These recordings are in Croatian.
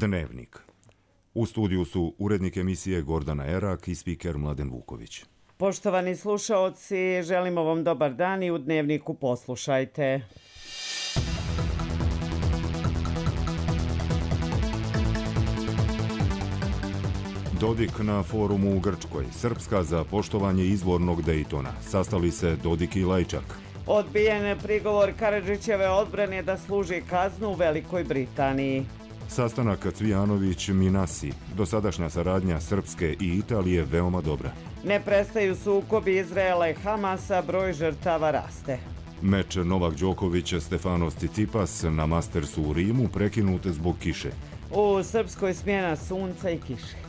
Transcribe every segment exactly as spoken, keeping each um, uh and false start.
Dnevnik. U studiju su urednik emisije Gordana Erak i spiker Mladen Vuković. Poštovani slušaoci, želimo vam dobar dan i u Dnevniku poslušajte. Dodik na forumu u Grčkoj. Srpska za poštovanje izvornog Dejtona. Sastali se Dodik i Lajčak. Odbijen prigovor Karadžićeve odbrane da služi kaznu u Velikoj Britaniji. Sastanak Cvijanović-Minasi. Dosadašnja saradnja Srpske i Italije veoma dobra. Ne prestaju sukobi Izraela i Hamasa, broj žrtava raste. Meč Novak Đoković-Stefanos Cicipas na Mastersu u Rimu prekinut zbog kiše. U Srpskoj smjena sunca i kiše.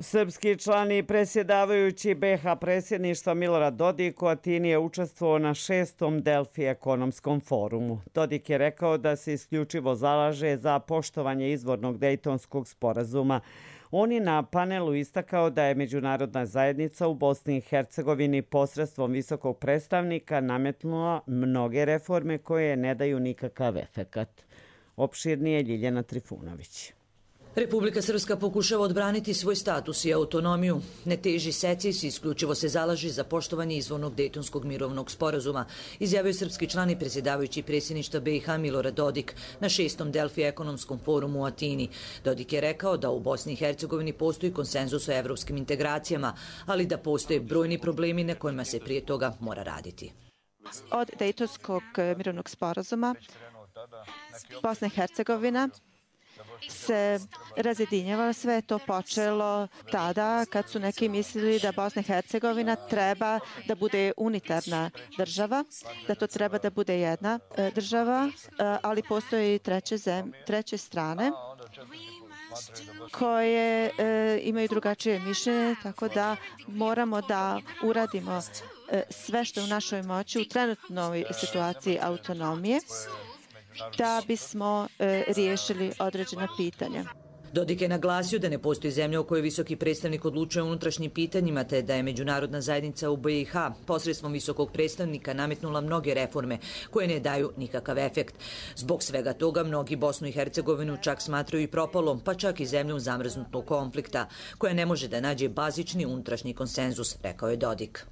Srpski član i presjedavajući be ha predsjedništva Milorad Dodik u Atini je učestvovao na šestom Delfi ekonomskom forumu. Dodik je rekao da se isključivo zalaže za poštovanje izvornog Dejtonskog sporazuma. On je na panelu istakao da je međunarodna zajednica u Bosni i Hercegovini posredstvom visokog predstavnika nametnula mnoge reforme koje ne daju nikakav efekat. Opširnije Ljiljana Trifunović. Republika Srpska pokušava odbraniti svoj status i autonomiju. Ne teži secesiji, isključivo se zalaži za poštovanje izvornog Dejtonskog mirovnog sporazuma, izjavio srpski član i predsjedavajući predsjedništva be i ha Milorad Dodik na šestom Delfi ekonomskom forumu u Atini. Dodik je rekao da u Bosni i Hercegovini postoji konsenzus o evropskim integracijama, ali da postoje brojni problemi na kojima se prije toga mora raditi. Od Dejtonskog mirovnog sporazuma Bosna i Hercegovina se razjedinjava. Sve je to počelo tada kad su neki mislili da Bosna i Hercegovina treba da bude unitarna država, da to treba da bude jedna država, ali postoje i treće, zem, treće strane koje e, imaju drugačije mišljenje, tako da moramo da uradimo e, sve što je u našoj moći u trenutnoj situaciji autonomije da bismo e, riješili određena pitanja. Dodik je naglasio da ne postoji zemlja u kojoj visoki predstavnik odlučuje o unutrašnjim pitanjima, te da je međunarodna zajednica u be i ha posredstvom visokog predstavnika nametnula mnoge reforme koje ne daju nikakav efekt. Zbog svega toga mnogi Bosnu i Hercegovinu čak smatraju i propalom, pa čak i zemljom zamrznutog konflikta, koja ne može da nađe bazični unutrašnji konsenzus, rekao je Dodik.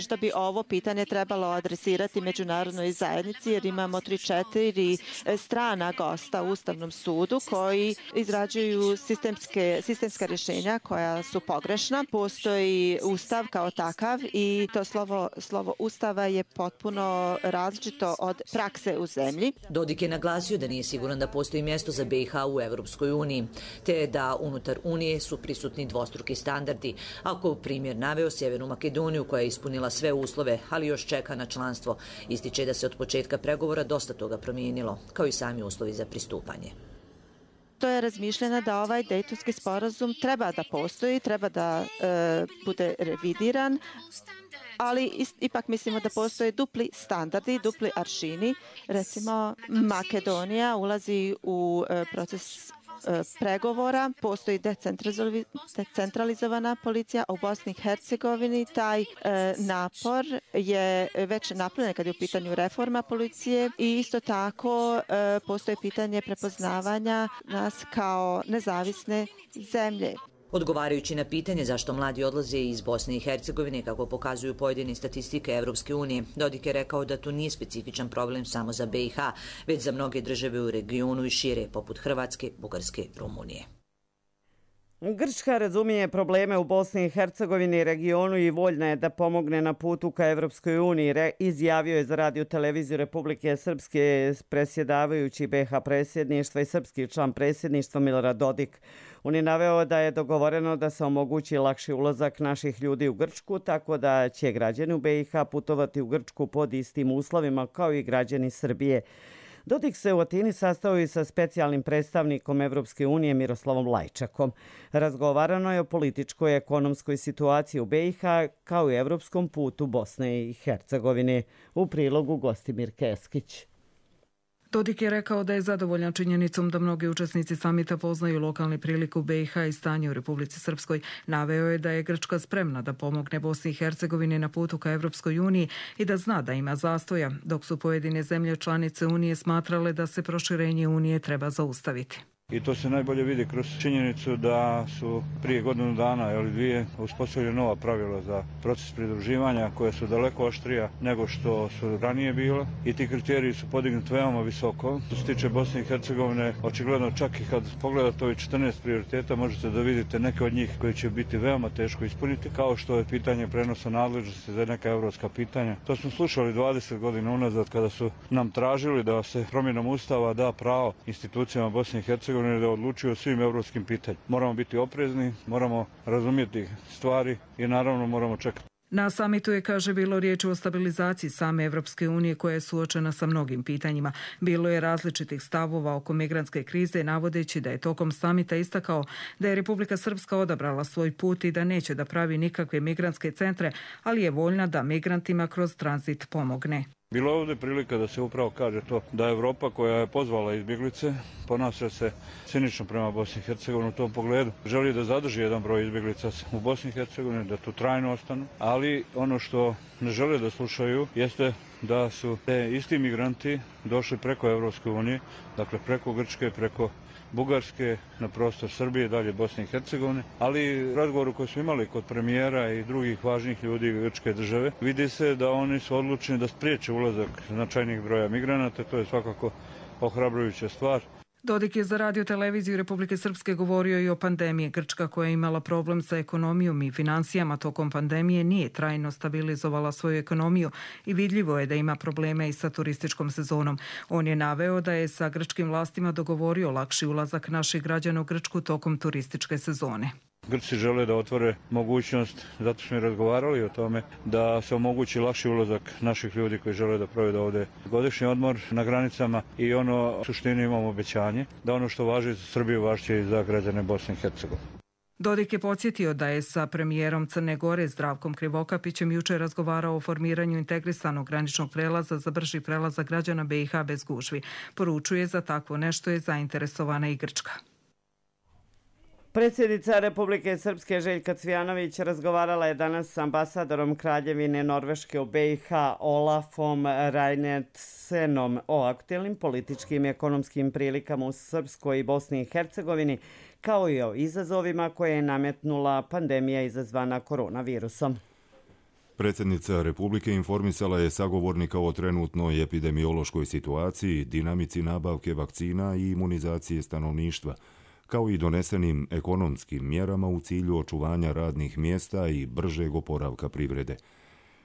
Da bi ovo pitanje trebalo adresirati međunarodnoj zajednici jer imamo tri četiri strana gosta u Ustavnom sudu koji izrađuju sistemske, sistemska rješenja koja su pogrešna. Postoji Ustav kao takav i to slovo, slovo Ustava je potpuno različito od prakse u zemlji. Dodik je naglasio da nije siguran da postoji mjesto za be i ha u Evropskoj uniji, te da unutar Unije su prisutni dvostruki standardi. Ako primjer naveo Sjevernu Makedoniju koja je ispunila sve uslove, ali još čeka na članstvo. Ističe da se od početka pregovora dosta toga promijenilo, kao i sami uslovi za pristupanje. To je razmišljeno da ovaj Dejtonski sporazum treba da postoji, treba da e, bude revidiran, ali ipak mislimo da postoje dupli standardi, dupli aršini. Recimo, Makedonija ulazi u e, proces pregovora, postoji decentralizovana policija, a u Bosni i Hercegovini taj e, napor je već napravljen kad je u pitanju reforma policije i isto tako e, postoji pitanje prepoznavanja nas kao nezavisne zemlje. Odgovarajući na pitanje zašto mladi odlaze iz Bosne i Hercegovine, kako pokazuju pojedine statistike Evropske unije, Dodik je rekao da to nije specifičan problem samo za be i ha, već za mnoge države u regionu i šire, poput Hrvatske, Bugarske, Rumunije. Grčka razumije probleme u Bosni i Hercegovini i regionu i voljna je da pomogne na putu ka Evropskoj uniji, izjavio je za radio televiziju Republike Srpske predsjedavajući be ha predsjedništva i srpski član predsjedništva Milorad Dodik. On je naveo da je dogovoreno da se omogući lakši ulazak naših ljudi u Grčku, tako da će građani u be i ha putovati u Grčku pod istim uslovima kao i građani Srbije. Dodik se u Atini sastao i sa specijalnim predstavnikom Evropske unije Miroslavom Lajčakom. Razgovarano je o političkoj i ekonomskoj situaciji u be i ha kao i evropskom putu Bosne i Hercegovine. U prilogu Gostimir Keskić. Dodik je rekao da je zadovoljan činjenicom da mnogi učesnici samita poznaju lokalni prilik u B i H i stanje u Republici Srpskoj. Naveo je da je Grčka spremna da pomogne Bosni i Hercegovini na putu ka Evropskoj uniji i da zna da ima zastoja, dok su pojedine zemlje članice Unije smatrale da se proširenje Unije treba zaustaviti. I to se najbolje vidi kroz činjenicu da su prije godinu dana ili dvije uspostavljene nova pravila za proces pridruživanja koja su daleko oštrija nego što su ranije bila i ti kriteriji su podignuti veoma visoko. Što se tiče Bosne i Hercegovine, očigledno čak i kad pogledate ovih četrnaest prioriteta možete da vidite neke od njih koji će biti veoma teško ispuniti, kao što je pitanje prenosa nadležnosti za neka evropska pitanja. To smo slušali dvadeset godina unazad kada su nam tražili da se promjenom Ustava da pravo institucijama Bosne i Hercegovine da odlučuju o svim evropskim pitanjima. Moramo biti oprezni, moramo razumjeti stvari i naravno moramo čekati. Na samitu je, kaže, bilo riječi o stabilizaciji same Evropske unije koja je suočena sa mnogim pitanjima. Bilo je različitih stavova oko migrantske krize, navodeći da je tokom samita istakao da je Republika Srpska odabrala svoj put i da neće da pravi nikakve migrantske centre, ali je voljna da migrantima kroz tranzit pomogne. Bilo je ovdje prilika da se upravo kaže to da Evropa koja je pozvala izbjeglice ponaša se cinično prema Bosni i Hercegovini u tom pogledu. Želi da zadrži jedan broj izbjeglica u Bosni i Hercegovini, da tu trajno ostanu, ali ono što ne žele da slušaju jeste da su te isti migranti došli preko Evropske unije, dakle preko Grčke, preko Bugarske, na prostor Srbije, dalje Bosne i Hercegovine, ali u razgovoru koji smo imali kod premijera i drugih važnih ljudi grčke države, vidi se da oni su odlučeni da spriječe ulazak značajnih broja migranata, to je svakako ohrabrujuća stvar. Dodik je za radio televiziju Republike Srpske govorio i o pandemiji. Grčka, koja je imala problem sa ekonomijom i financijama tokom pandemije, nije trajno stabilizovala svoju ekonomiju i vidljivo je da ima probleme i sa turističkom sezonom. On je naveo da je sa grčkim vlastima dogovorio lakši ulazak naših građana u Grčku tokom turističke sezone. Grci žele da otvore mogućnost, zato smo i razgovarali o tome, da se omogući lakši ulazak naših ljudi koji žele da provedu ovdje godišnji odmor na granicama i ono u suštini imamo obećanje da ono što važi za Srbiju važi i za građane Bosne i Hercegovine. Dodik je podsjetio da je sa premijerom Crne Gore Zdravkom Krivokapićem jučer razgovarao o formiranju integrisanog graničnog prelaza za brži prelazak građana B i H bez gužvi. Poručuje za takvo nešto je zainteresovana i Grčka. Predsjednica Republike Srpske Željka Cvijanović razgovarala je danas s ambasadorom Kraljevine Norveške u B i H Olafom Reinerdsenom o aktuelnim političkim i ekonomskim prilikama u Srpskoj i Bosni i Hercegovini, kao i o izazovima koje je nametnula pandemija izazvana koronavirusom. Predsjednica Republike informisala je sagovornika o trenutnoj epidemiološkoj situaciji, dinamici nabavke vakcina i imunizacije stanovništva, kao i donesenim ekonomskim mjerama u cilju očuvanja radnih mjesta i bržeg oporavka privrede.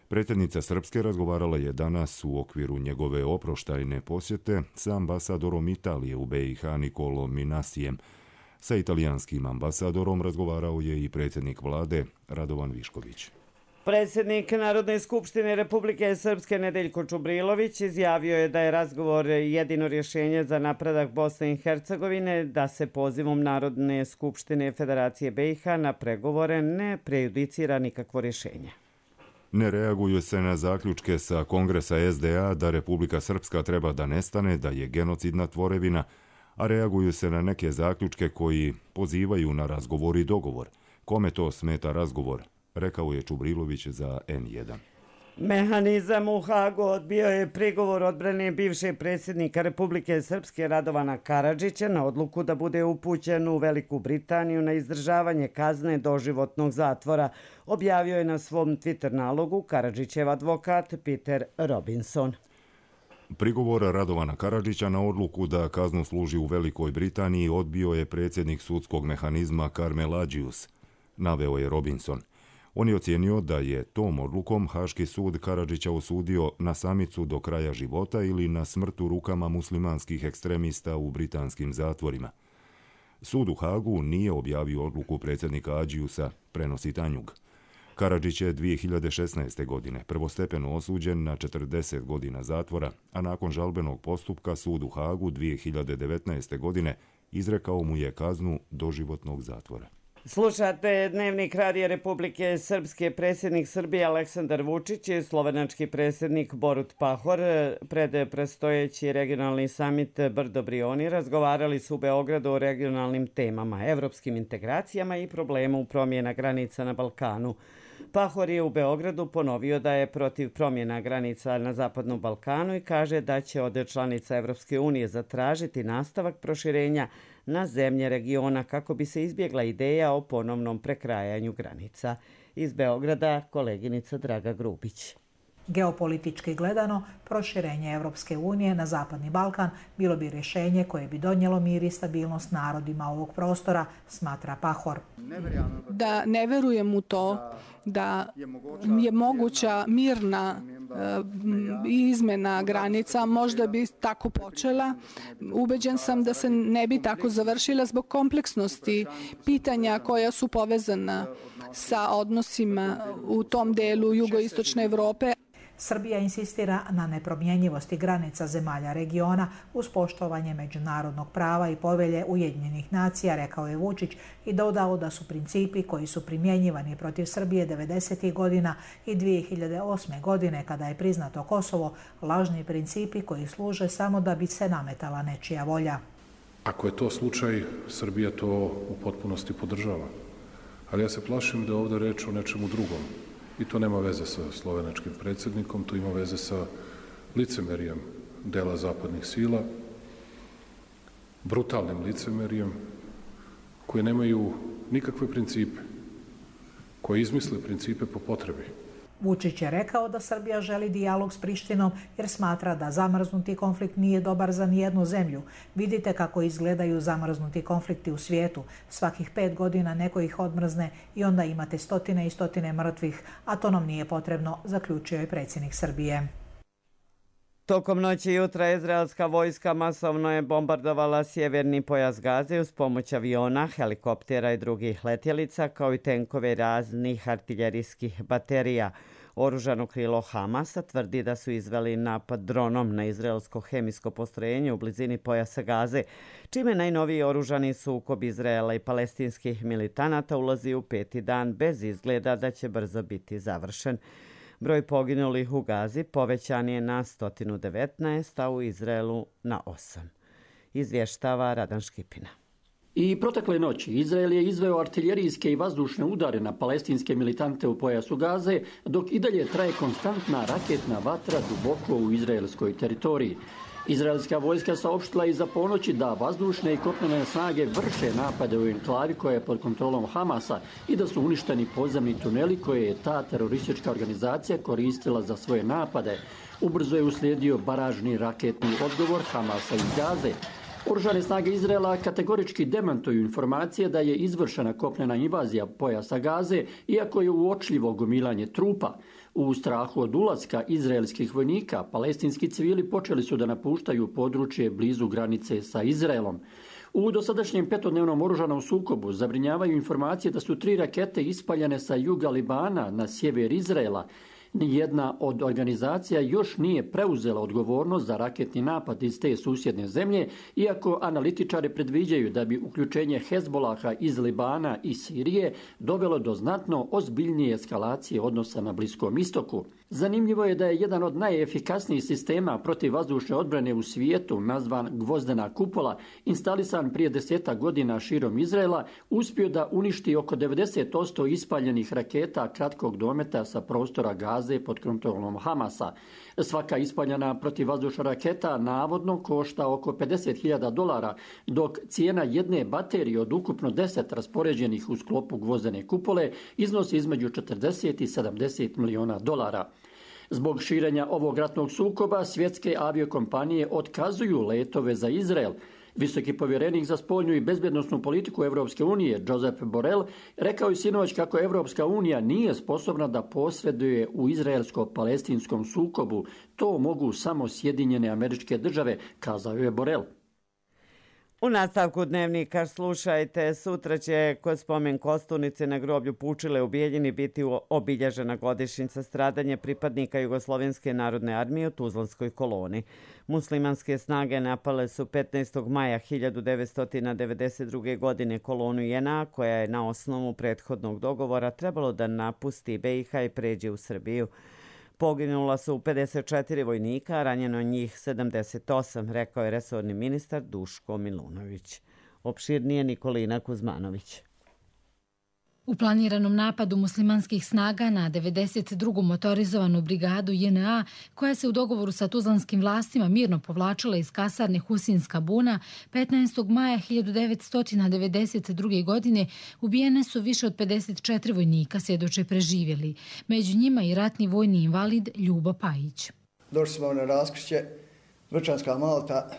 Predsjednica Srpske razgovarala je danas u okviru njegove oproštajne posjete sa ambasadorom Italije u B i H Nikolom Minasijem. Sa italijanskim ambasadorom razgovarao je i predsjednik vlade Radovan Višković. Predsjednik Narodne skupštine Republike Srpske Nedeljko Čubrilović izjavio je da je razgovor jedino rješenje za napredak Bosne i Hercegovine, da se pozivom Narodne skupštine Federacije B i H na pregovore ne prejudicira nikakvo rješenje. Ne reaguju se na zaključke sa Kongresa S D A da Republika Srpska treba da nestane, da je genocidna tvorevina, a reaguju se na neke zaključke koji pozivaju na razgovor i dogovor. Kome to smeta razgovor? Rekao je Čubrilović za N jedan. Mehanizam u Hagu odbio je prigovor odbrane bivšeg predsjednika Republike Srpske Radovana Karadžića na odluku da bude upućen u Veliku Britaniju na izdržavanje kazne doživotnog zatvora, objavio je na svom Twitter nalogu Karadžićev advokat Peter Robinson. Prigovor Radovana Karadžića na odluku da kaznu služi u Velikoj Britaniji odbio je predsjednik sudskog mehanizma Karmel Adžius, naveo je Robinson. On je ocijenio da je tom odlukom Haški sud Karadžića osudio na samicu do kraja života ili na smrt u rukama muslimanskih ekstremista u britanskim zatvorima. Sud u Hagu nije objavio odluku predsjednika Adžiusa, prenosi Tanjug. Karadžić je dvije hiljade šesnaeste. godine prvostepeno osuđen na četrdeset godina zatvora, a nakon žalbenog postupka sud u Hagu dvije hiljade devetnaeste. godine izrekao mu je kaznu doživotnog zatvora. Slušate Dnevnik Radija Republike Srpske. Predsjednik Srbije Aleksandar Vučić i slovenački predsjednik Borut Pahor pred predstojeći regionalni samit Brdo Brioni razgovarali su u Beogradu o regionalnim temama, evropskim integracijama i problemu promjena granica na Balkanu. Pahor je u Beogradu ponovio da je protiv promjena granica na Zapadnom Balkanu i kaže da će od članica Evropske unije zatražiti nastavak proširenja na zemlje regiona kako bi se izbjegla ideja o ponovnom prekrajanju granica. Iz Beograda koleginica Draga Grubić. Geopolitički gledano, proširenje Evropske unije na Zapadni Balkan bilo bi rješenje koje bi donijelo mir i stabilnost narodima ovog prostora, smatra Pahor. Da ne verujem u to da je moguća mirna izmjena granica, možda bi tako počela. Ubeđen sam da se ne bi tako završila zbog kompleksnosti pitanja koja su povezana sa odnosima u tom delu jugoistočne Evrope. Srbija insistira na nepromjenjivosti granica zemalja regiona uz poštovanje međunarodnog prava i povelje Ujedinjenih nacija, rekao je Vučić i dodao da su principi koji su primjenjivani protiv Srbije devedesetih godina i dvije hiljade osme. godine kada je priznato Kosovo lažni principi koji služe samo da bi se nametala nečija volja. Ako je to slučaj, Srbija to u potpunosti podržava. Ali ja se plašim da je ovdje reč o nečemu drugom. I to nema veze sa slovenačkim predsjednikom, to ima veze sa licemerijem dela zapadnih sila, brutalnim licemerijem, koje nemaju nikakve principe, koje izmisle principe po potrebi. Vučić je rekao da Srbija želi dijalog s Prištinom jer smatra da zamrznuti konflikt nije dobar za nijednu zemlju. Vidite kako izgledaju zamrznuti konflikti u svijetu. Svakih pet godina neko ih odmrzne i onda imate stotine i stotine mrtvih, a to nam nije potrebno, zaključio je predsjednik Srbije. Tokom noći i jutra izraelska vojska masovno je bombardovala sjeverni pojas Gaze uz pomoć aviona, helikoptera i drugih letjelica, kao i tenkove raznih artiljerijskih baterija. Oružano krilo Hamasa tvrdi da su izveli napad dronom na izraelsko hemijsko postrojenje u blizini pojasa Gaze, čime najnoviji oružani sukob Izraela i palestinskih militanata ulazi u peti dan bez izgleda da će brzo biti završen. Broj poginulih u Gazi povećan je na sto devetnaest, a u Izraelu na osam. Izvještava Radan Škipina. I protekle noći Izrael je izveo artiljerijske i vazdušne udare na palestinske militante u pojasu Gaze, dok i dalje traje konstantna raketna vatra duboko u izraelskoj teritoriji. Izraelska vojska saopštila iza ponoći da vazdušne i kopnene snage vrše napade u enklavi koja je pod kontrolom Hamasa i da su uništeni podzemni tuneli koje je ta teroristička organizacija koristila za svoje napade. Ubrzo je uslijedio baražni raketni odgovor Hamasa iz Gaze. Oružane snage Izraela kategorički demantuju informacije da je izvršena kopnena invazija pojasa Gaze, iako je uočljivo gomilanje trupa. U strahu od ulaska izraelskih vojnika, palestinski civili počeli su da napuštaju područje blizu granice sa Izraelom. U dosadašnjem petodnevnom oružanom sukobu zabrinjavaju informacije da su tri rakete ispaljene sa juga Libana na sjever Izraela. Nijedna od organizacija još nije preuzela odgovornost za raketni napad iz te susjedne zemlje, iako analitičari predviđaju da bi uključenje Hezbolaha iz Libana i Sirije dovelo do znatno ozbiljnije eskalacije odnosa na Bliskom istoku. Zanimljivo je da je jedan od najefikasnijih sistema protiv vazdušne odbrane u svijetu, nazvan Gvozdena kupola, instalisan prije desetak godina širom Izraela, uspio da uništi oko devedeset posto ispaljenih raketa kratkog dometa sa prostora Gaze pod kontrolom Hamasa. Svaka ispaljena protivvazdušna raketa navodno košta oko pedeset hiljada dolara, dok cijena jedne baterije od ukupno deset raspoređenih u sklopu gvozdene kupole iznosi između četrdeset i sedamdeset miliona dolara. Zbog širenja ovog ratnog sukoba svjetske aviokompanije otkazuju letove za Izrael. Visoki povjerenik za spoljnu i bezbjednosnu politiku Evropske unije, Josep Borrell, rekao je sinoć kako Evropska unija nije sposobna da posreduje u izraelsko-palestinskom sukobu. To mogu samo Sjedinjene Američke Države, kazao je Borrell. U nastavku dnevnika slušajte, sutra će kod spomen kosturnice na groblju Pučile u Bijeljini biti obilježena godišnjica stradanja pripadnika Jugoslovenske narodne armije u Tuzlanskoj koloni. Muslimanske snage napale su petnaestog maja hiljadu devetsto devedeset druge. godine kolonu J N A koja je na osnovu prethodnog dogovora trebalo da napusti B i H i pređe u Srbiju. Poginula su pedeset četiri vojnika, a ranjeno njih sedamdeset osam, rekao je resorni ministar Duško Milunović. Opširnije Nikolina Kuzmanović. U planiranom napadu muslimanskih snaga na devedeset drugu motorizovanu brigadu J N A, koja se u dogovoru sa tuzlanskim vlastima mirno povlačila iz kasarne Husinska buna, petnaestog maja hiljadu devetsto devedeset druge. godine ubijene su više od pedeset četiri vojnika, svjedoče preživjeli. Među njima i ratni vojni invalid Ljubo Pajić. Došli smo na raskrižje, Vrčanska Malta,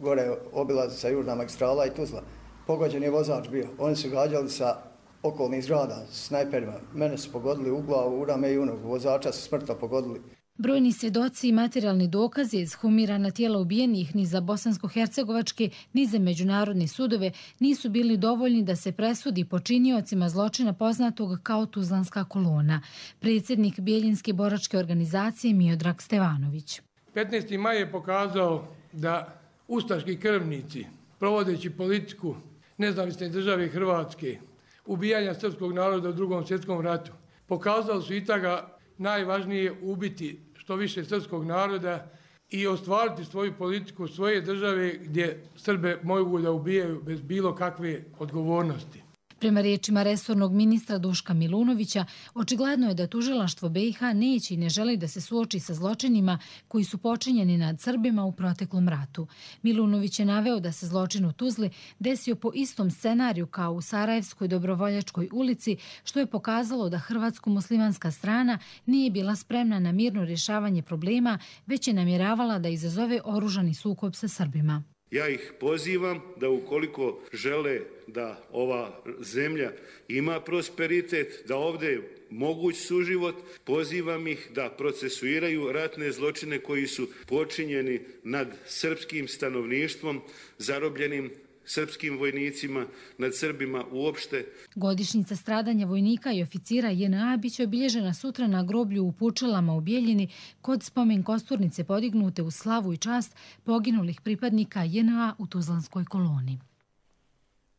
gore obilaznica Južna magistrala i Tuzla. Pogođen je vozač bio. Oni su gađali sa okolnih zgrada, snajperima. Mene su pogodili u glavu, u rame i u nogu. Vozača su smrtno pogodili. Brojni svjedoci i materijalni dokazi ekshumirana tijela ubijenih ni za bosansko-hercegovačke ni za međunarodne sudove nisu bili dovoljni da se presudi počiniocima zločina poznatog kao Tuzlanska kolona. Predsjednik Bijeljinske boračke organizacije Miodrag Stevanović. petnaesti maj je pokazao da ustaški krvnici, provodeći politiku nezavisne države Hrvatske, ubijanja srpskog naroda u drugom svjetskom ratu, pokazali su i toga najvažnije ubiti što više srpskog naroda i ostvariti svoju politiku svoje države gdje Srbe mogu da ubijaju bez bilo kakve odgovornosti. Prema riječima resornog ministra Duška Milunovića, očigledno je da tužilaštvo B i H neće i ne želi da se suoči sa zločinima koji su počinjeni nad Srbima u proteklom ratu. Milunović je naveo da se zločin u Tuzli desio po istom scenariju kao u Sarajevskoj Dobrovoljačkoj ulici, što je pokazalo da hrvatsko-muslimanska strana nije bila spremna na mirno rješavanje problema, već je namjeravala da izazove oružani sukob sa Srbima. Ja ih pozivam da ukoliko žele da ova zemlja ima prosperitet, da ovdje moguć suživot, pozivam ih da procesuiraju ratne zločine koji su počinjeni nad srpskim stanovništvom, zarobljenim srpskim vojnicima, nad Srbima uopšte. Godišnjica stradanja vojnika i oficira J N A biće obilježena sutra na groblju u Pučilama u Bijeljini kod spomen kosturnice podignute u slavu i čast poginulih pripadnika J N A u Tuzlanskoj koloni.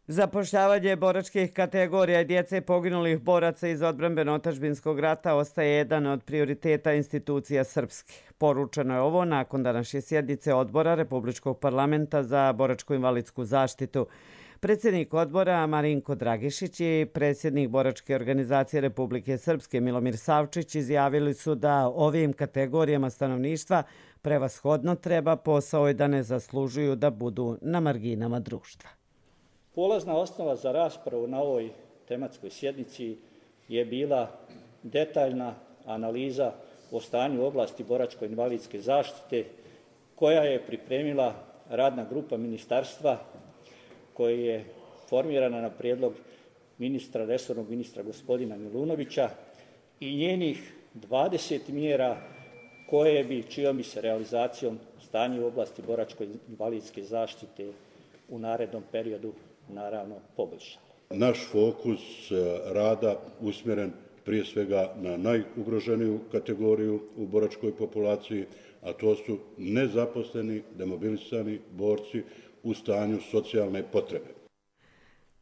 Zapošljavanje boračkih kategorija i djece poginulih boraca iz odbrambeno-otadžbinskog rata ostaje jedan od prioriteta institucija Srpske. Poručeno je ovo nakon današnje sjednice odbora Republičkog parlamenta za boračko-invalidsku zaštitu. Predsjednik odbora Marinko Dragišić i predsjednik boračke organizacije Republike Srpske Milomir Savčić izjavili su da ovim kategorijama stanovništva prevashodno treba posao i da ne zaslužuju da budu na marginama društva. Polazna osnova za raspravu na ovoj tematskoj sjednici je bila detaljna analiza o stanju u oblasti boračko-invalidske zaštite koja je pripremila radna grupa ministarstva koja je formirana na prijedlog ministra, resornog ministra gospodina Milunovića i njenih dvadeset mjera koje bi, čijom bi se realizacijom stanje u oblasti boračko-invalidske zaštite u narednom periodu naravno poboljšali. Naš fokus rada usmjeren prije svega na najugroženiju kategoriju u boračkoj populaciji, a to su nezaposleni, demobilisani borci u stanju socijalne potrebe.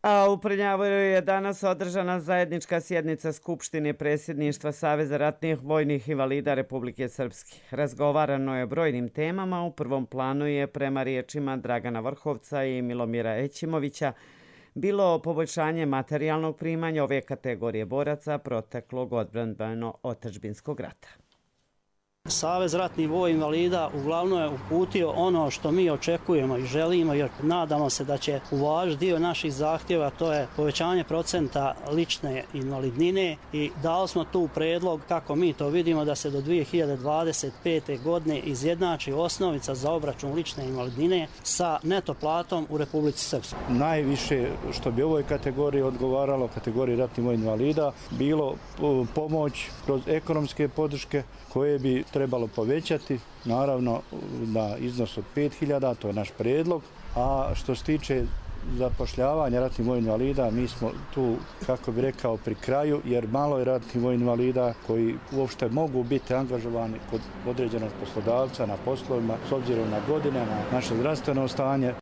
A u Prnjavoru je danas održana zajednička sjednica Skupštine predsjedništva Saveza ratnih vojnih invalida Republike Srpske. Razgovarano je o brojnim temama. U prvom planu je, prema riječima Dragana Vrhovca i Milomira Ećimovića, bilo poboljšanje materijalnog primanja ove kategorije boraca proteklog odbrambeno-otadžbinskog rata. Savez ratnih vojnih invalida uglavnom je uputio ono što mi očekujemo i želimo, jer nadamo se da će uvažiti dio naših zahtjeva, to je povećanje procenta lične invalidnine, i dali smo tu predlog kako mi to vidimo da se do dvije hiljade dvadeset pete. godine izjednači osnovica za obračun lične invalidnine sa neto platom u Republici Srpskoj. Najviše što bi ovoj kategoriji odgovaralo, kategoriji ratnih vojnih invalida, bilo pomoć kroz ekonomske podrške koje bi trebalo povećati, naravno na iznos od pet hiljada, to je naš predlog, A što se tiče zapošljavanja ratnih vojnih invalida, mi smo tu, kako bi rekao, pri kraju, jer malo je ratnih vojnih invalida koji uopšte mogu biti angažovani kod određenog poslodavca na poslovima s obzirom na godine, na naše zdravstveno stanje.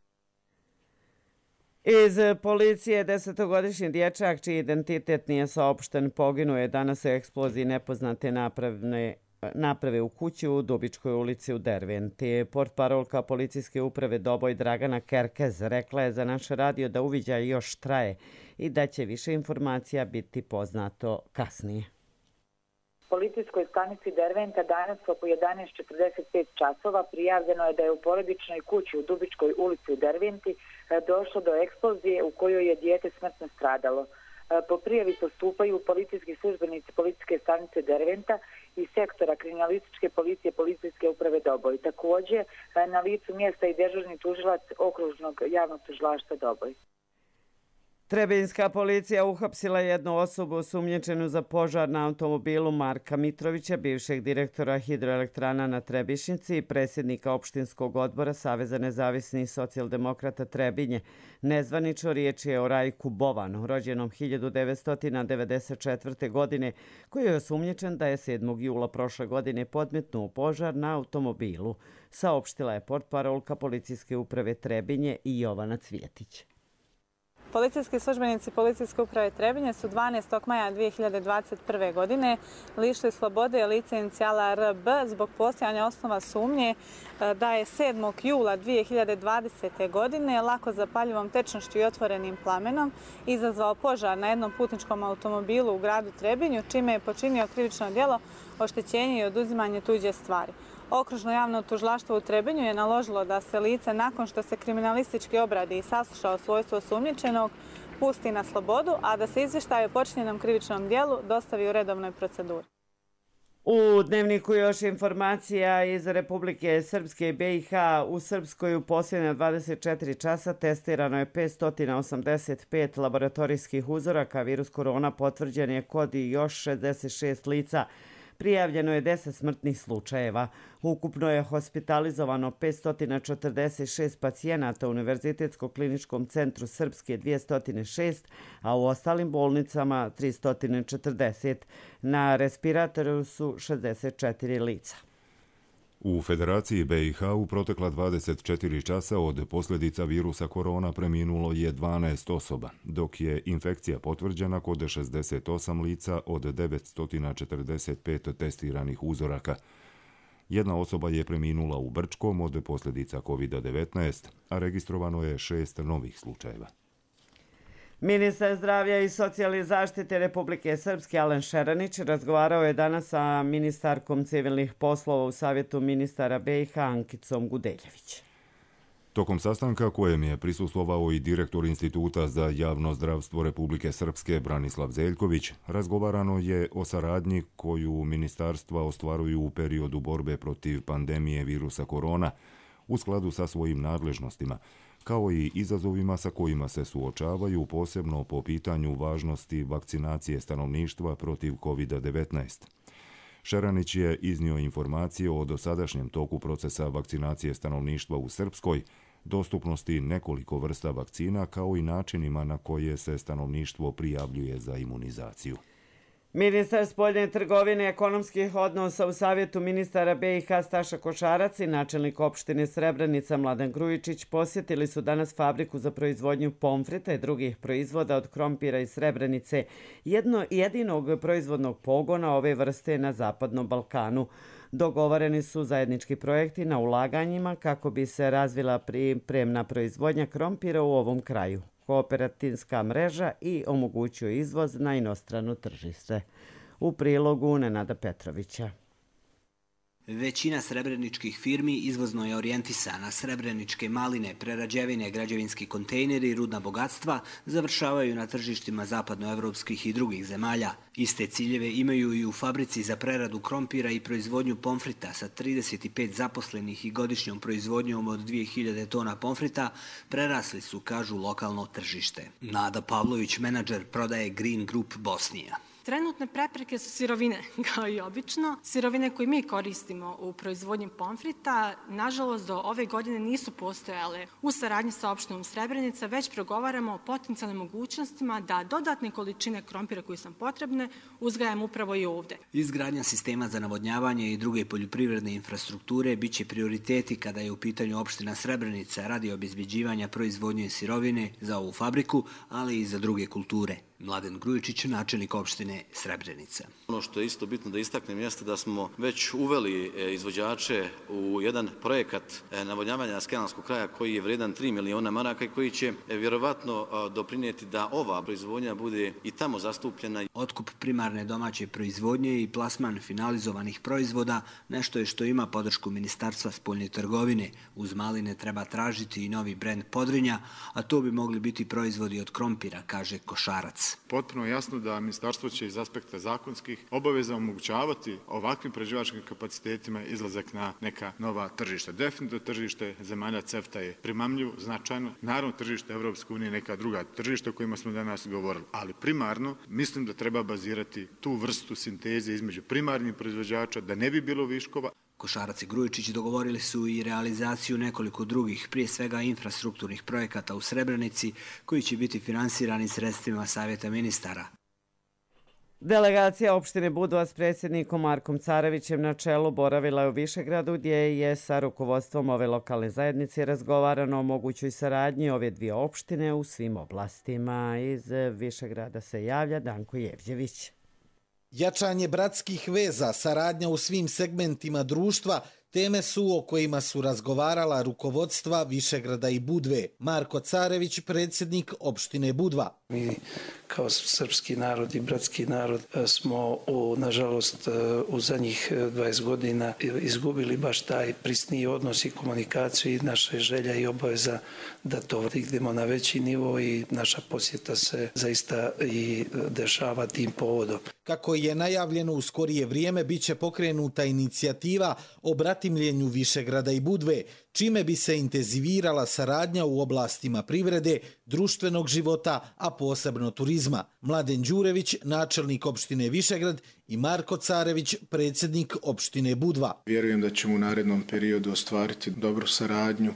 Iz policije desetogodišnji dječak, čiji identitet nije saopšten, poginuo je danas u eksploziji nepoznate napravne naprave u kući u Dubičkoj ulici u Derventi. Portparolka policijske uprave Doboj Dragana Kerkez rekla je za naš radio da uviđaj još traje i da će više informacija biti poznato kasnije. Policijskoj stanici Derventa danas oko jedanaest četrdeset pet časova prijavljeno je da je u porodičnoj kući u Dubičkoj ulici u Derventi došlo do eksplozije u kojoj je dijete smrtno stradalo. Po prijavi postupaju policijski službenici policijske stanice Derventa i sektora kriminalističke policije policijske uprave Doboj. Također na licu mjesta i dežurni tužilac okružnog javnog tužilaštva Doboj. Trebinjska policija uhapsila jednu osobu osumnjičenu za požar na automobilu Marka Mitrovića, bivšeg direktora hidroelektrana na Trebišnici i predsjednika opštinskog odbora Saveza nezavisnih socijaldemokrata Trebinje. Nezvanično riječ je o Rajku Bovanu, rođenom hiljadu devetsto devedeset četvrte. godine, koji je osumnjičen da je sedmog jula prošle godine podmetnuo požar na automobilu, saopštila je portparolka policijske uprave Trebinje i Jovana Cvjetić. Policijski službenici policijske uprave Trebinje su dvanaestog maja dvije hiljade dvadeset prve. godine lišili slobode lice inicijala R B zbog postojanja osnova sumnje da je sedmog jula dvije hiljade dvadesete. godine lako zapaljivom tečnošću i otvorenim plamenom izazvao požar na jednom putničkom automobilu u gradu Trebinju, čime je počinio krivično djelo oštećenje i oduzimanje tuđe stvari. Okružno javno tužilaštvo u Trebinju je naložilo da se lice, nakon što se kriminalistički obradi i sasluša o svojstvu osumnjičenog, pusti na slobodu, a da se izvještaj o počinjenom krivičnom djelu dostavi u redovnoj proceduri. U Dnevniku još informacija iz Republike Srpske i B i H. U Srpskoj u posljednja dvadeset četiri časa testirano je petsto osamdeset pet laboratorijskih uzoraka. Virus korona potvrđen je kod još šezdeset šest lica. Prijavljeno je deset smrtnih slučajeva. Ukupno je hospitalizovano petsto četrdeset šest pacijenata u Univerzitetskog kliničkom centru Srpske dvjesto šest, a u ostalim bolnicama tristo četrdeset. Na respiratoru su šezdeset četiri lica. U Federaciji B i H u protekla dvadeset četiri časa od posljedica virusa korona preminulo je dvanaest osoba, dok je infekcija potvrđena kod šezdeset osam lica od devetsto četrdeset pet testiranih uzoraka. Jedna osoba je preminula u Brčkom od posljedica kovid devetnaest, a registrovano je šest novih slučajeva. Ministar zdravlja i socijalne zaštite Republike Srpske Alen Šeranić razgovarao je danas sa ministarkom civilnih poslova u Savjetu ministara B i H Ankicom Gudeljević. Tokom sastanka kojem je prisustvovao i direktor Instituta za javno zdravstvo Republike Srpske Branislav Zeljković, razgovarano je o saradnji koju ministarstva ostvaruju u periodu borbe protiv pandemije virusa korona u skladu sa svojim nadležnostima, kao i izazovima sa kojima se suočavaju, posebno po pitanju važnosti vakcinacije stanovništva protiv kovid devetnaest. Šeranić je iznio informacije o dosadašnjem toku procesa vakcinacije stanovništva u Srpskoj, dostupnosti nekoliko vrsta vakcina, kao i načinima na koje se stanovništvo prijavljuje za imunizaciju. Ministar spoljne trgovine i ekonomskih odnosa u Savjetu ministara B i H Staša Košarac i načelnik opštine Srebrenica Mladen Grujičić posjetili su danas fabriku za proizvodnju pomfrita i drugih proizvoda od krompira iz Srebrenice, jedno jedinog proizvodnog pogona ove vrste na Zapadnom Balkanu. Dogovoreni su zajednički projekti na ulaganjima kako bi se razvila pripremna proizvodnja krompira u ovom kraju, kooperativska mreža i omogućuje izvoz na inostrano tržište. U prilogu Nenada Petrovića. Većina srebreničkih firmi izvozno je orijentisana. Srebreničke maline, prerađevine, građevinski kontejneri i rudna bogatstva završavaju na tržištima zapadnoevropskih i drugih zemalja. Iste ciljeve imaju i u fabrici za preradu krompira i proizvodnju pomfrita sa trideset pet zaposlenih i godišnjom proizvodnjom od dvije hiljade tona pomfrita prerasli su, kažu, lokalno tržište. Nada Pavlović, menadžer prodaje Green Group Bosnija. Trenutne prepreke su sirovine, kao i obično. Sirovine koje mi koristimo u proizvodnji pomfrita, nažalost, do ove godine nisu postojale. U saradnji sa opštinom Srebrenica već progovaramo o potencijalnim mogućnostima da dodatne količine krompira koje su potrebne uzgajamo upravo i ovde. Izgradnja sistema za navodnjavanje i druge poljoprivredne infrastrukture biće prioriteti kada je u pitanju opština Srebrenica radi obezbeđivanja proizvodnje sirovine za ovu fabriku, ali i za druge kulture. Mladen Grujičić, načelnik opštine Srebrenica. Ono što je isto bitno da istaknem jeste da smo već uveli izvođače u jedan projekat navodnjavanja Skelanskog kraja koji je vredan tri miliona maraka i koji će vjerovatno doprinijeti da ova proizvodnja bude i tamo zastupljena. Otkup primarne domaće proizvodnje i plasman finalizovanih proizvoda nešto je što ima podršku Ministarstva spoljne trgovine. Uz maline treba tražiti i novi brend Podrinja, a to bi mogli biti proizvodi od krompira, kaže Košarac. Potpuno jasno da ministarstvo će iz aspekta zakonskih obaveza omogućavati ovakvim prerađivačkim kapacitetima izlazak na neka nova tržišta. Definitivno tržište zemalja CEFTA je primamljivo, značajno. Naravno tržište Evropske unije neka druga tržišta o kojima smo danas govorili. Ali primarno mislim da treba bazirati tu vrstu sinteze između primarnih proizvođača da ne bi bilo viškova. Košarac i Grujičić dogovorili su i realizaciju nekoliko drugih, prije svega infrastrukturnih projekata u Srebrenici, koji će biti finansirani sredstvima Savjeta ministara. Delegacija opštine Budva s predsjednikom Markom Carevićem na čelu boravila je u Višegradu, gdje je sa rukovodstvom ove lokalne zajednice razgovarano o mogućoj saradnji ove dvije opštine u svim oblastima. Iz Višegrada se javlja Danko Jevđević. Jačanje bratskih veza, saradnja u svim segmentima društva, teme su o kojima su razgovarala rukovodstva Višegrada i Budve. Marko Carević, predsjednik opštine Budva. Mi kao srpski narod i bratski narod smo, u, nažalost, u zadnjih dvadeset godina izgubili baš taj prisniji odnos i komunikaciju i naša želja i obaveza da to dignemo na veći nivo i naša posjeta se zaista i dešava tim povodom. Kako je najavljeno u skorije vrijeme, bit će pokrenuta inicijativa o bratimljenju Višegrada i Budve, čime bi se intenzivirala saradnja u oblastima privrede, društvenog života, a posebno turizma. Mladen Đurević, načelnik opštine Višegrad, i Marko Carević, predsjednik opštine Budva. Vjerujem da ćemo u narednom periodu ostvariti dobru saradnju,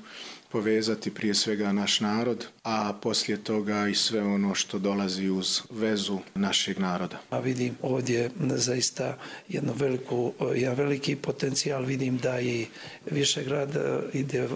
povezati prije svega naš narod, a poslije toga i sve ono što dolazi uz vezu našeg naroda. A vidim ovdje zaista jednu veliku, jedan veliki potencijal, vidim da i Višegrad ide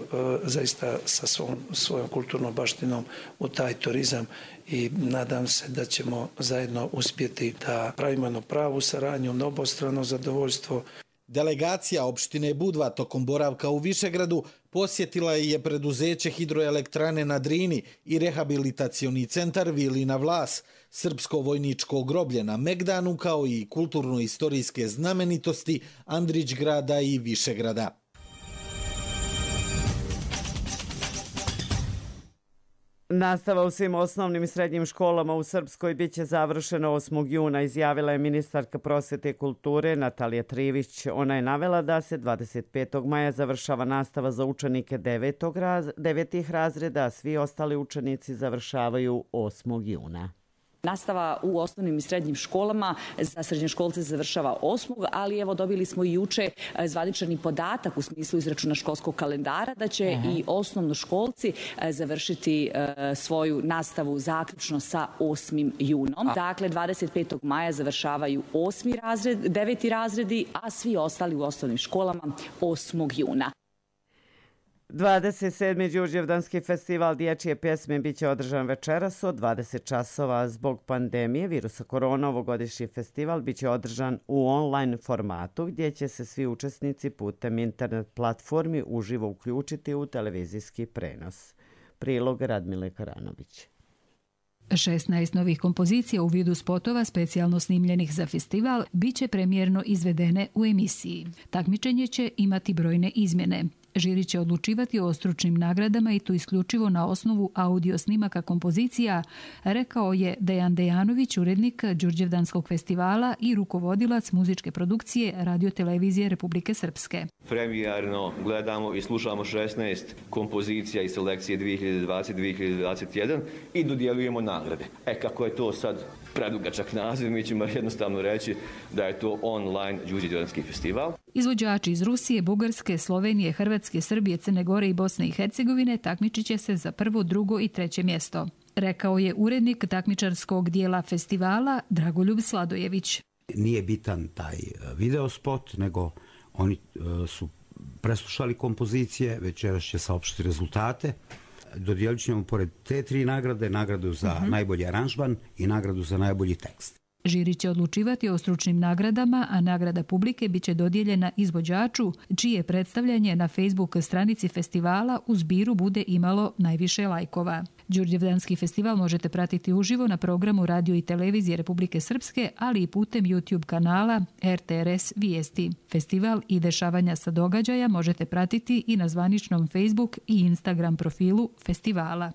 zaista sa svom, svojom kulturnom baštinom u taj turizam i nadam se da ćemo zajedno uspjeti da pravimo jednu pravu saradnju, na obostrano zadovoljstvo. Delegacija opštine Budva tokom boravka u Višegradu posjetila je preduzeće hidroelektrane na Drini i rehabilitacioni centar Vilina Vlas, srpsko vojničko groblje na Megdanu, kao i kulturno-istorijske znamenitosti Andrićgrada i Višegrada. Nastava u svim osnovnim i srednjim školama u Srpskoj biće završena osmog juna, izjavila je ministarka prosvete i kulture Natalija Trivić. Ona je navela da se dvadeset petog maja završava nastava za učenike devetog raz, devetih razreda, a svi ostali učenici završavaju osmog juna. Nastava u osnovnim i srednjim školama za srednjoškolce završava osmog ali evo dobili smo i juče zvanični podatak u smislu izračuna školskog kalendara da će Aha. i osnovnoškolci završiti svoju nastavu zaključno sa osmim junom. Dakle, dvadeset petog maja završavaju osmi razred, deveti razredi, a svi ostali u osnovnim školama osmog juna. dvadeset sedmi Đurđevdanski festival dječje pjesme biće održan večeras od dvadeset časova. Zbog pandemije virusa korona ovogodišnji festival biće održan u online formatu gdje će se svi učesnici putem internet platformi uživo uključiti u televizijski prenos. Prilog Radmile Karanović. šesnaest novih kompozicija u vidu spotova specijalno snimljenih za festival biće premijerno izvedene u emisiji. Takmičenje će imati brojne izmjene. Žiri će odlučivati o stručnim nagradama i to isključivo na osnovu audio snimaka kompozicija, rekao je Dejan Dejanović, urednik Đurđevdanskog festivala i rukovodilac muzičke produkcije Radio-televizije Republike Srpske. Premijerno gledamo i slušamo šesnaest kompozicija iz selekcije dvije hiljade dvadeset dvije hiljade dvadeset jedan i dodjeljujemo nagrade. E kako je to sad predugačak naziv, mi ćemo jednostavno reći da je to online Đurđevdanski festival. Izvođači iz Rusije, Bugarske, Slovenije, Hrvatske, Srbije, Crne Gore i Bosne i Hercegovine takmičit će se za prvo, drugo i treće mjesto, rekao je urednik takmičarskog dijela festivala Dragoljub Sladojević. Nije bitan taj videospot, nego oni su preslušali kompozicije, večeras će saopštiti rezultate. Dodijelit ćemo pored te tri nagrade, nagradu za uh-huh. najbolji aranžman i nagradu za najbolji tekst. Žiri će odlučivati o stručnim nagradama, a nagrada publike biće dodijeljena izvođaču, čije predstavljanje na Facebook stranici festivala u zbiru bude imalo najviše lajkova. Đurđevdanski festival možete pratiti uživo na programu Radio i televizije Republike Srpske, ali i putem YouTube kanala R T R S Vijesti. Festival i dešavanja sa događaja možete pratiti i na zvaničnom Facebook i Instagram profilu festivala.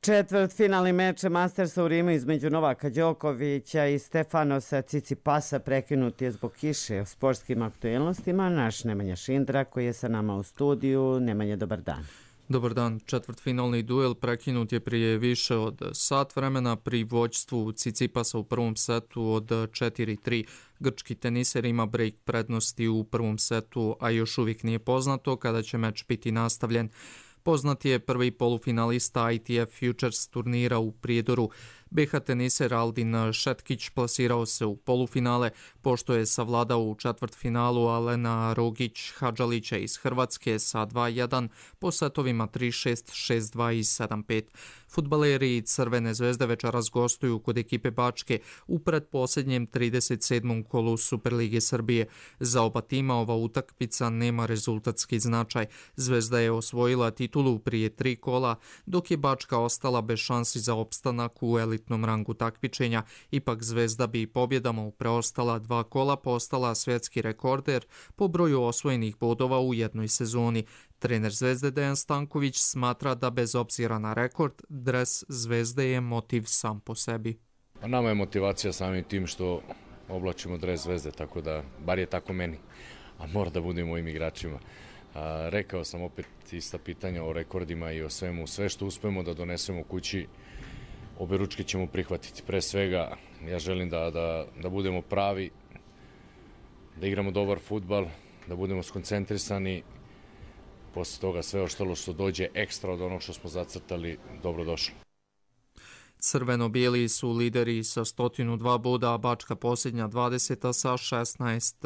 Četvrtfinalni meč Mastersa u Rimu između Novaka Đokovića i Stefanosa Cicipasa prekinut je zbog kiše. O sportskim aktuelnostima naš Nemanja Šindra koji je sa nama u studiju. Nemanja, dobar dan. Dobar dan. Četvrtfinalni duel prekinut je prije više od sat vremena pri vođstvu Cicipasa u prvom setu od četiri tri. Grčki teniser ima break prednosti u prvom setu, a još uvijek nije poznato kada će meč biti nastavljen. Poznat je prvi polufinalista I T F Futures turnira u Prijedoru. B H teniser Aldin Šetkić plasirao se u polufinale, pošto je savladao u četvrtfinalu Alena Rogić Hadžalića iz Hrvatske sa dva jedan po setovima tri šest, šest dva i sedam pet. Fudbaleri Crvene zvezde večeras gostuju kod ekipe Bačke u predposljednjem trideset sedmom kolu Superlige Srbije. Za oba tima ova utakmica nema rezultatski značaj. Zvezda je osvojila titulu prije tri kola, dok je Bačka ostala bez šansi za opstanak u elitnom rangu takmičenja. Ipak Zvezda bi pobjedama u preostala dva kola postala svjetski rekorder po broju osvojenih bodova u jednoj sezoni. Trener Zvezde Dejan Stanković smatra da bez obzira na rekord, dres Zvezde je motiv sam po sebi. Pa nama je motivacija samim tim što oblačimo dres Zvezde, tako da, bar je tako meni, a mora da budemo mojim igračima. A, rekao sam opet ista pitanja o rekordima i o svemu, sve što uspemo da donesemo kući, obe ručke ćemo prihvatiti. Pre svega, ja želim da, da, da budemo pravi, da igramo dobar fudbal, da budemo skoncentrisani. Posle toga sve ostalo što dođe ekstra od onog što smo zacrtali, dobro došlo. Crveno-bijeli su lideri sa sto dva boda, a Bačka posljednja dvadeseta sa šesnaest.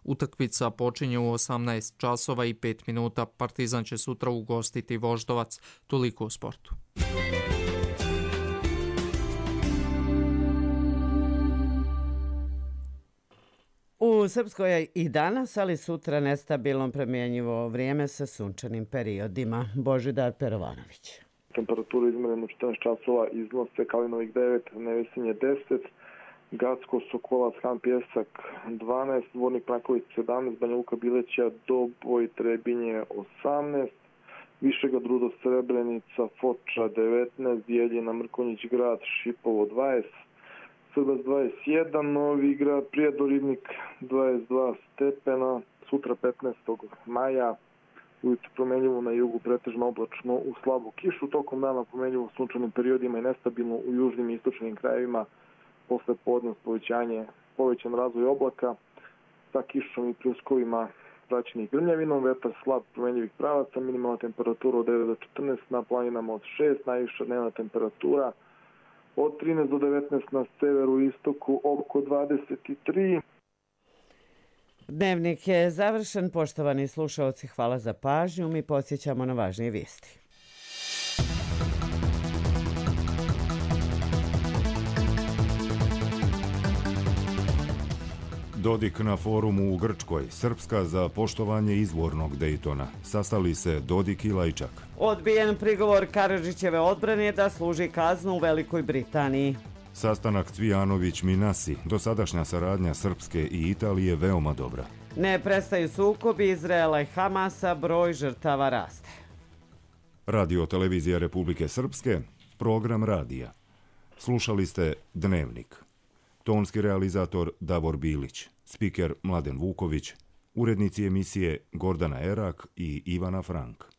Utakmica počinje u osamnaest časova i pet minuta. Partizan će sutra ugostiti Voždovac. Toliko u sportu. U Srpskoj je i danas, ali sutra nestabilno promjenjivo vrijeme sa sunčanim periodima. Božidar Perovanović. Temperaturu izmjerenu četrnaest časova iznose Kalinovik devet, Nevesinje deset, Gacko, Sokolac, Han Pjesak dvanaest, Dvornik Mraković sedamnaest, Banja Luka Bileća, Doboj, Trebinje osamnaest, Višega Drudo, Srebrenica, Foča devetnaest, Bijeljina, Mrkonjić Grad, Šipovo dvadeset, Srbac dvadeset jedan, Novi Grad, Prijedor, Ribnik dvadeset dva stepena, sutra petnaestog maja, ujutro promjenjivo na jugu, pretežno oblačno u slabu kišu, tokom dana promjenjivo u sunčanim periodima i nestabilno u južnim i istočnim krajevima, posle podne povećanje, povećan razvoj oblaka sa kišom i pljuskovima praćenih grmljavinom, vetar slab promjenjivih pravaca, minimalna temperatura od devet do četrnaest, na planinama od šest, najviša dnevna temperatura od trinaest do devetnaest, na severu i istoku oko dvadeset tri. Dnevnik je završen. Poštovani slušaoci, hvala za pažnju. Mi podsjećamo na važnije vijesti. Dodik na forumu u Grčkoj. Srpska za poštovanje izvornog Dejtona. Sastali se Dodik i Lajčak. Odbijen prigovor Karadžićeve odbrane da služi kaznu u Velikoj Britaniji. Sastanak Cvijanović-Minasi, dosadašnja saradnja Srpske i Italije veoma dobra. Ne prestaju sukobi Izraela i Hamasa, broj žrtava raste. Radio televizija Republike Srpske, program radija. Slušali ste Dnevnik. Tonski realizator Davor Bilić, spiker Mladen Vuković, urednici emisije Gordana Erak i Ivana Frank.